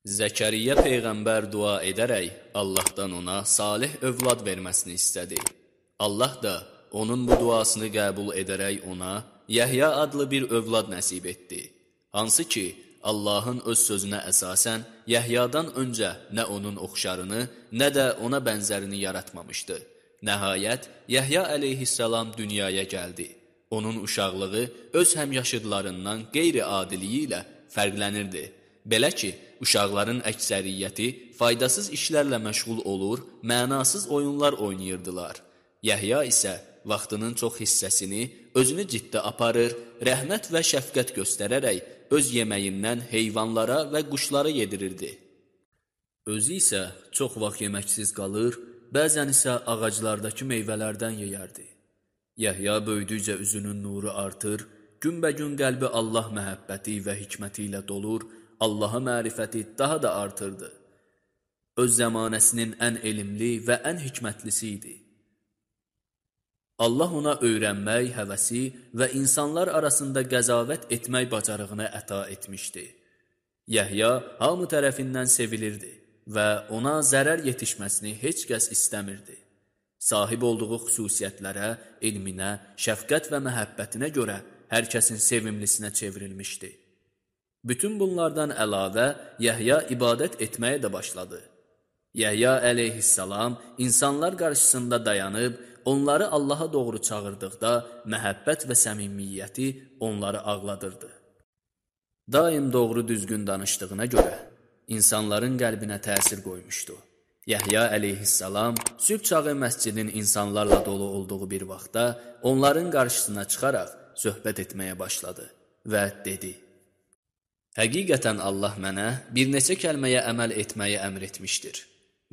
Zəkəriyyə Peyğəmbər dua edərək Allahdan ona salih övlad verməsini istədi. Allah da onun bu duasını qəbul edərək ona Yəhya adlı bir övlad nəsib etdi. Hansı ki, Allahın öz sözünə əsasən Yəhyadan öncə nə onun oxşarını, nə də ona bənzərini yaratmamışdı. Nəhayət, Yəhya əleyhissalam dünyaya gəldi. Onun uşaqlığı öz həmyaşıdlarından qeyri-adiliyi ilə fərqlənirdi. Belə ki, uşaqların əksəriyyəti faydasız işlərlə məşğul olur, mənasız oyunlar oynayırdılar. Yəhya isə vaxtının çox hissəsini özünü ciddi aparır, rəhmət və şəfqət göstərərək öz yeməyindən heyvanlara və quşlara yedirirdi. Özü isə çox vaxt yeməksiz qalır, bəzən isə ağaclardakı meyvələrdən yeyərdi. Yəhya böyüdükcə üzünün nuru artır, günbəgün qəlbi Allah məhəbbəti və hikməti ilə dolur, Allaha mərifəti daha da artırdı. Öz zəmanəsinin ən elmli və ən hikmətlisi idi. Allah ona öyrənmək, həvəsi və insanlar arasında qəzavət etmək bacarığını əta etmişdi. Yəhya hamı tərəfindən sevilirdi və ona zərər yetişməsini heç kəs istəmirdi. Sahib olduğu xüsusiyyətlərə, elminə, şəfqət və məhəbbətinə görə hər kəsin sevimlisinə çevrilmişdi. Bütün bunlardan əlavə Yəhya ibadət etməyə də başladı. Yəhya əleyhissalam insanlar qarşısında dayanıb, onları Allaha doğru çağırdıqda məhəbbət və səmimiyyəti onları ağladırdı. Daim doğru düzgün danışdığına görə insanların qəlbinə təsir qoymuşdu. Yəhya əleyhissalam sübh çağı məscidin insanlarla dolu olduğu bir vaxtda onların qarşısına çıxaraq söhbət etməyə başladı və dedi: Həqiqətən Allah mənə bir neçə kəlməyə əməl etməyi əmr etmişdir.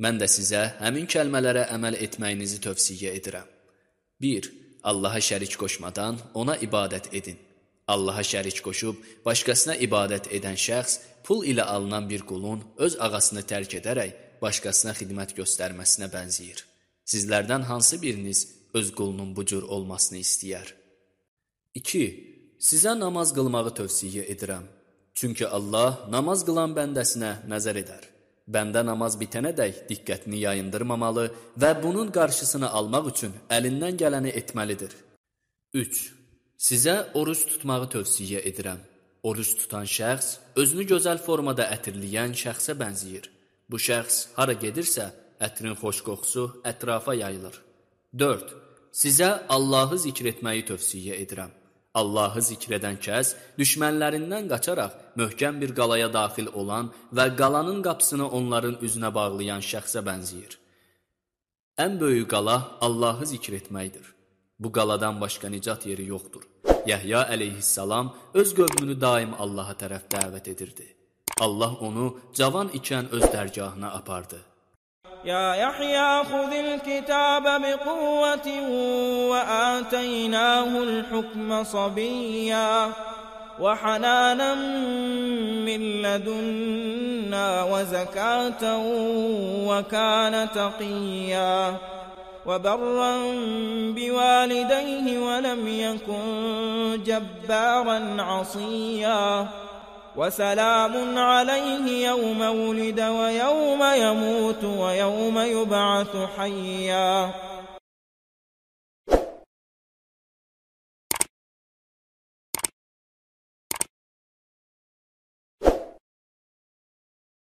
Mən də sizə həmin kəlmələrə əməl etməyinizi tövsiyə edirəm. 1. Allaha şərik qoşmadan ona ibadət edin. Allaha şərik qoşub başqasına ibadət edən şəxs pul ilə alınan bir qulun öz ağasını tərk edərək başqasına xidmət göstərməsinə bənzəyir. Sizlərdən hansı biriniz öz qulunun bu cür olmasını istəyər? 2. Sizə namaz qılmağı tövsiyə edirəm. Çünki Allah namaz qılan bəndəsinə nəzər edər. Bəndə namaz bitənədək diqqətini yayındırmamalı və bunun qarşısını almaq üçün əlindən gələni etməlidir. 3. Sizə oruç tutmağı tövsiyə edirəm. Oruç tutan şəxs özünü gözəl formada ətirləyən şəxsə bənzəyir. Bu şəxs hara gedirsə, ətrin xoş qoxusu ətrafa yayılır. 4. Sizə Allahı zikr etməyi tövsiyə edirəm. Allahı zikr edən kəs düşmənlərindən qaçaraq möhkəm bir qalaya daxil olan və qalanın qapısını onların üzünə bağlayan şəxsə bənzəyir. Ən böyük qala Allahı zikr etməkdir. Bu qaladan başqa nicat yeri yoxdur. Yəhya əleyhissalam öz qövmünü daim Allaha tərəf dəvət edirdi. Allah onu cavan ikən öz dərgahına apardı. يا يحيى خذ الكتاب بقوة وآتيناه الحكم صبيا وحنانا من لدنا وزكاة وكان تقيا وبرا بوالديه ولم يكن جبارا عصيا وسلام عليه يوم ولد ويوم يموت ويوم يبعث حيا